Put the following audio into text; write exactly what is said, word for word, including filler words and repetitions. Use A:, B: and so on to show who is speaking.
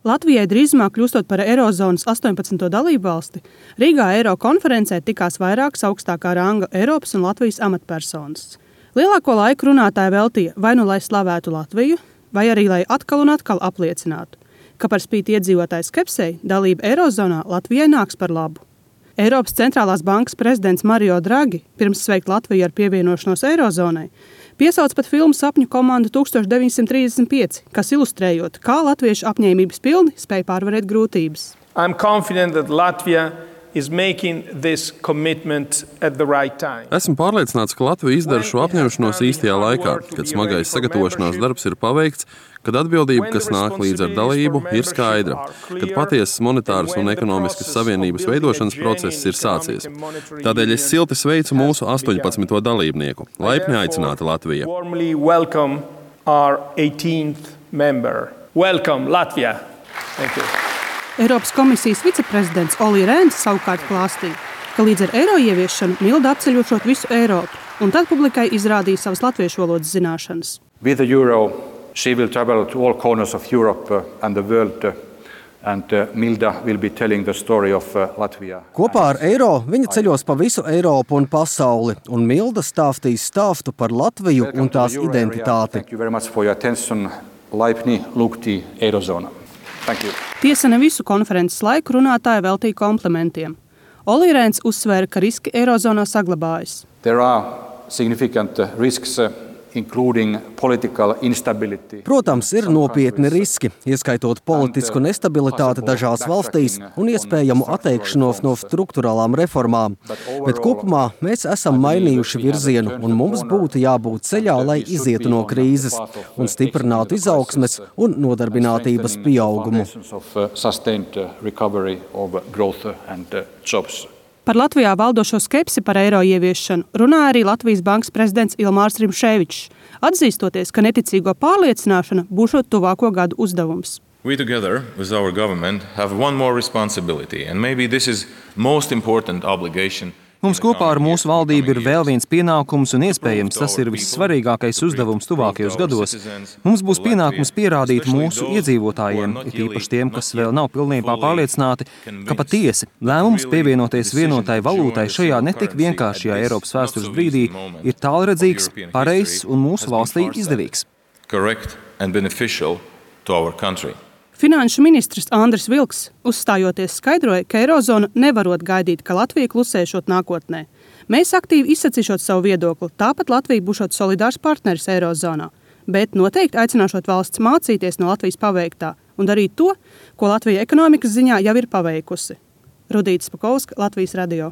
A: Latvijai drīzumā kļūstot par Eirozonas astoņpadsmito dalību valsti, Rīgā Eiro konferencē tikās vairākas augstākā ranga Eiropas un Latvijas amatpersonas. Lielāko laiku runātāji veltīja vai nu lai slavētu Latviju, vai arī lai atkal un atkal apliecinātu, ka par spīti iedzīvotāju skepsei dalība Eirozonā Latvijai nāks par labu. Eiropas centrālās bankas prezidents Mario Draghi pirms sveikt Latviju ar pievienošanos Eirozonai piesauc pat filmu Sapņu komandu tūkstoš deviņsimt trīsdesmit pieci, kas ilustrējot, kā latviešu apņēmības pilni spēj pārvarēt grūtības.
B: I'm confident that Latvia is making this commitment at the right time.
C: Esmu pārliecināts, ka Latvija izdara šo apņemšanos īstajā laikā, kad smagais sagatavošanās darbs ir paveikts, kad atbildība, kas nāk līdz ar dalību, ir skaidra, kad patiesas monetāras un ekonomiskas savienības veidošanas process ir sācies. Tādēļ es silti sveicu mūsu astoņpadsmito dalībnieku. Laipni aicināta Latvija.
B: Warmly welcome our eighteenth member. Welcome, Latvia. Thank you.
A: Eiropas komisijas viceprezidents Olli Rehns savukārt klāstīja, ka līdz ar eiro ieviešanu Milda apceļošot visu Eiropu, un tad publikai izrādīja savas latviešu valodas zināšanas.
D: With the euro, she will travel to all corners of Europe and the world, and Milda will be telling the story of Latvia.
E: Kopā ar eiro viņa ceļos pa visu Eiropu un pasauli, un Milda stāstīs stāstu par Latviju un tās identitāti.
D: Thank you very much for your attention. Laipni lūgti Eirozona. Thank you.
A: Tiesa ne visu konferences laiku runātāja veltīja komplimentiem. Olli Rehns uzsvēra, ka riski Eirozonā saglabājas.
D: There are significant risks, including political instability.
E: Protams, ir nopietni riski, ieskaitot politisku nestabilitāti dažās valstīs un iespējamu atteikšanos no strukturālām reformām. Bet kopumā mēs esam mainījuši virzienu un mums būtu jābūt ceļā, lai izietu no krīzes un stiprinātu izaugsmes un nodarbinātības pieaugumu.
A: Par Latvijā valdošo skepsi par eiro ieviešanu runāja arī Latvijas bankas prezidents Ilmārs Rimšēvičs, atzīstoties, ka neticīgo pārliecināšana būšot tuvāko gadu uzdevums.
F: We together with our government have one more responsibility, and maybe this is most important obligation.
G: Mums kopā ar mūsu valdību ir vēl viens pienākums, un iespējams tas ir vissvarīgākais uzdevums tuvākajos gados. Mums būs pienākums pierādīt mūsu iedzīvotājiem, it īpaši tiem, kas vēl nav pilnībā pārliecināti, ka patiesi lēmums pievienoties vienotai valūtai šajā netik vienkāršajā Eiropas vēstures brīdī ir tālredzīgs, pareizs un mūsu valstī izdevīgs.
F: Correct and beneficial to our country.
A: Finanšu ministrs Andris Vilks, uzstājoties, skaidroja, ka Eirozona nevarot gaidīt, ka Latvija klusēšot nākotnē. Mēs aktīvi izsacīšot savu viedokli, tāpat Latvija būšot solidārs partneris Eirozonā, bet noteikti aicināšot valsts mācīties no Latvijas paveiktā un darīt to, ko Latvija ekonomikas ziņā jau ir paveikusi. Rudīta Spakovska, Latvijas radio.